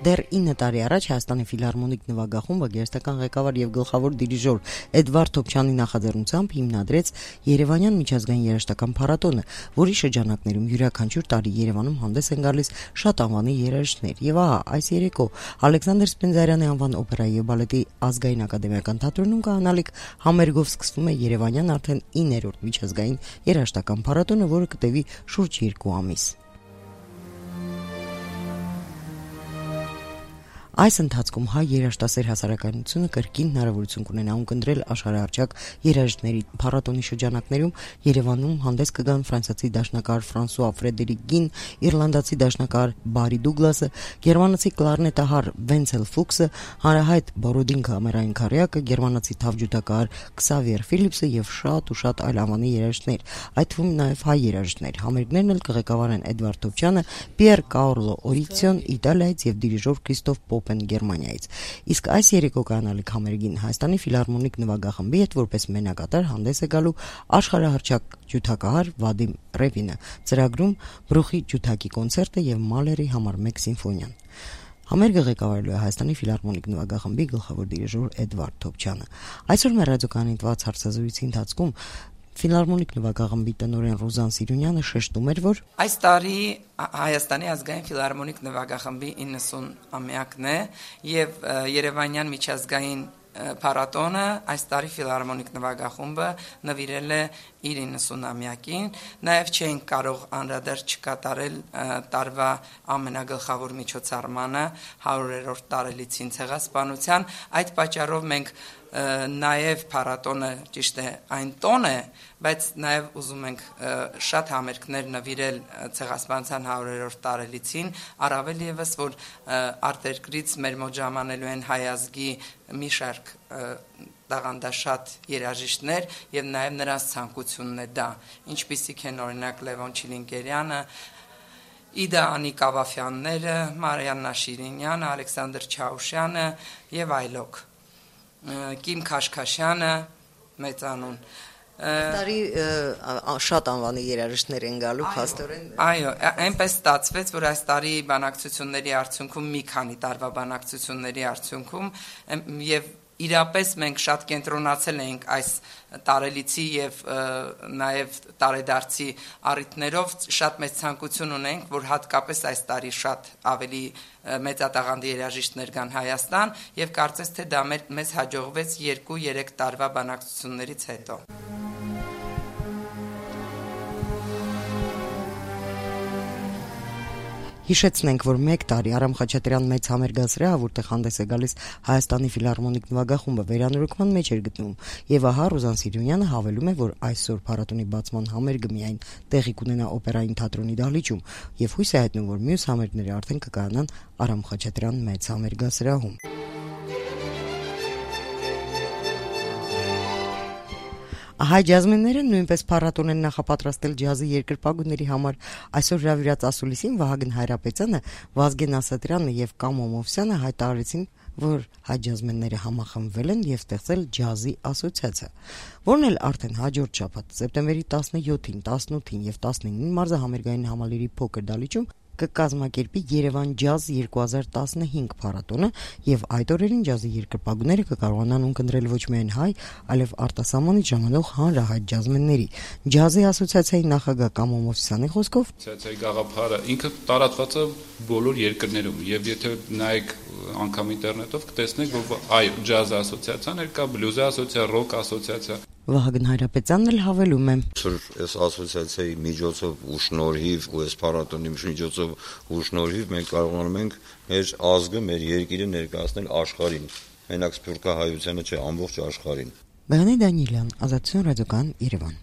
Դեռ 9 տարի առաջ Հայաստանի ֆիլհարմոնիկ նվագախումբը գերստական ղեկավար եւ գլխավոր դիրիժոր Էդվարդ Թոփչյանի նախաձեռնությամբ հիմնադրեց Երևանյան միջազգային երաժշտական փառատոնը, որի շրջանակներում յուրաքանչյուր տարի Երևանում հանդես են գալիս շատ անվանի երաժիշտներ։ Եվ ահա այս երեկո Ալեքսանդր Սպենդիարյանի անվան օպերայի եւ բալետի ազգային ակադեմիական թատրոնում կանալիք համերգով սկսվում է Երևանյան արդեն 9-րդ միջազգային երաժշտական փառատոնը, որը կտևի շուրջ 2 ամիս։ Այս ընթացքում հայ երաժշտասեր հասարակայնությունը կրկին հնարավորություն կունենա ունկնդրել աշխարհահռչակ երաժիշտների փառատոնի շրջանակներում Երևանում հանդես կգան ֆրանսիացի դաշնակահար Ֆրանսուଆ Ֆրեդերիկ Գին, իռլանդացի դաշնակահար Բարի Դուգլասը, գերմանացի կլարնետահար Վենցել Ֆուքսը, հանրահայտ Բորոդին կամերային քարյակը, գերմանացի թավջութակահար Քսավիեր Ֆիլիպսը եւ շատ այլ անվանի երաժիշտներ, այդ թվում նաեւ հայ երաժիշտներ։ Համերգներն էլ կղեկավարեն Էդվարդ Թոփչյանը, Պիեր Կաորլո Օրիցիոն Իտալիայից եւ դիրիժոր Քրիստոֆ Պոպեն Գերմանիայից։ Իսկ այս երեկո կանալիք համերգին Հայաստանի ֆիլհարմոնիկ նվագախմբի հետ որպես մենակատար հանդես է գալու աշխարհահռչակ ջութակահար Վադիմ Ռևինը, ծրագրում Բրուխի ջութակի կոնցերտը եւ Մալերի համար 1 սիմֆոնիան։ Համերգը ղեկավարելու է Հայաստանի ֆիլհարմոնիկ նվագախմբի գլխավոր դիրիժոր Էդվարդ Թոփչյանը։ Այսօր մեր ռադիոկայանի տված հարցազրույցի ընթացքում Ֆիլհարմոնիկ նվագախմբի տնօրեն Ռուզան Սիրունյանը շեշտում էր, որ այս տարի Հայաստանի ազգային ֆիլհարմոնիկ նվագախմբի 90-ամյակն է եւ Երևանյան միջազգային փառատոնը այս տարի ֆիլհարմոնիկ նվագախումբը նվիրել է իր 90-ամյակին, նաև չէինք կարող անդրադարձ չկատարել տարվա ամենագլխավոր միջոցառմանը 100-րդ տարելիցին ցեղասպանության, այդ պատճառով մենք նաև փառատոնը ճիշտ է այն տոն է, բայց նաև ուզում ենք շատ համերգներ նվիրել ցեղասպանության 100-րդ տարելիցին, առավել եւս որ արտերկրից մեր մոտ ժամանելու են հայ ազգի մի շարք տաղանդաշատ երաժիշտներ եւ նաեւ նրանց ցանկությունն է դա, ինչպիսիք են օրինակ Լևոն Չիլինգերյանը, Իդա Անիկավաֆյանները, Մարիաննա Շիրինյանը, Ալեքսանդր Չաուշյանը եւ այլոք, Կիմ Քաշքաշյանը, մեծանուն տարի շատ անվանի երաժիշտներ են գալու փաստորեն։ Այո, այնպես ստացվեց, որ այս տարի բանակցությունների արդյունքում մի քանի տարվա բանակցությունների արդյունքում եւ իրապես մենք շատ կենտրոնացել ենք այս տարելիցի եւ նաեւ տարեդարձի առիթներով շատ մեծ ցանկություն ունենք, որ հատկապես այս տարի շատ ավելի մեծատաղանդի երաժիշտներ գան Հայաստան եւ կարծես թե դա մեզ հաջողվեց 2-3 տարվա բանակցություններից հետո։ Հիշեցնենք, որ 1 տարի Արամ Խաչատրյան մեծ համերգասրահը, որտեղ հանդես է գալիս Հայաստանի ֆիլհարմոնիկ նվագախումբը, վերանորոգման մեջ էր գտնվում, եւ ահա Ռուզան Սիրունյանը հավելում է, որ այսօր փառատոնի բացման համերգը միայն տեղի կունենա օպերային թատրոնի դահլիճում, եւ հույս է հայտնում, որ մյուս համերգները արդեն կկայանան Արամ Խաչատրյան մեծ համերգասրահում։ Հայ ջազմենները նույնպես փառատոն են նախապատրաստել ջազի երկրպագուների համար։ Այսօր հրավիրած ասուլիսին Վահագն Հայրապետյանը, Վազգեն Ասատրյանը եւ Կամո Մովսյանը հայտարարեցին, որ հայ ջազմենները համախմբվել են եւ ստեղծել ջազի ասոցիացիա, որն էլ արդեն հաջորդ շաբաթ սեպտեմբերի 17-ին, 18-ին եւ 19-ին մարզահամերգային համալիրի փոքր դահլիճում կկազմակերպի Երևան ջազ 2015 փառատոնը եւ այդ օրերին ջազի երկրպագուները կկարողանան ունկնդրել ոչ միայն հայ, այլև արտասահմանից ժամանող հանրահայտ ջազմենների։ Ջազի ասոցիացիայի նախագահ Կամո Մովսյանի խոսքով ասոցիացիայի գաղափարը ինքը տարածված է բոլոր երկրներում եւ եթե նայեք անգամ ինտերնետով կտեսնեք, որ այո, ջազ ասոցիացիաներ կա, բլյուզ ասոցիացիա, ռոք ասոցիացիա։ Վահագն Հայրապետյանն էլ հավելում է. Այս ասոցիացիայի միջոցով ու շնորհիվ ու այս փառատոնի միջոցով ու շնորհիվ մենք կարողանում ենք մեր ազգը, մեր երկիրը ներկայացնել աշխարհին։ Մենակ սփյուռքահայությանը չէ, ամբողջ աշխարհին։ Բեհանե Դանիելյան, Ազատություն ռադիոկայան, Երևան։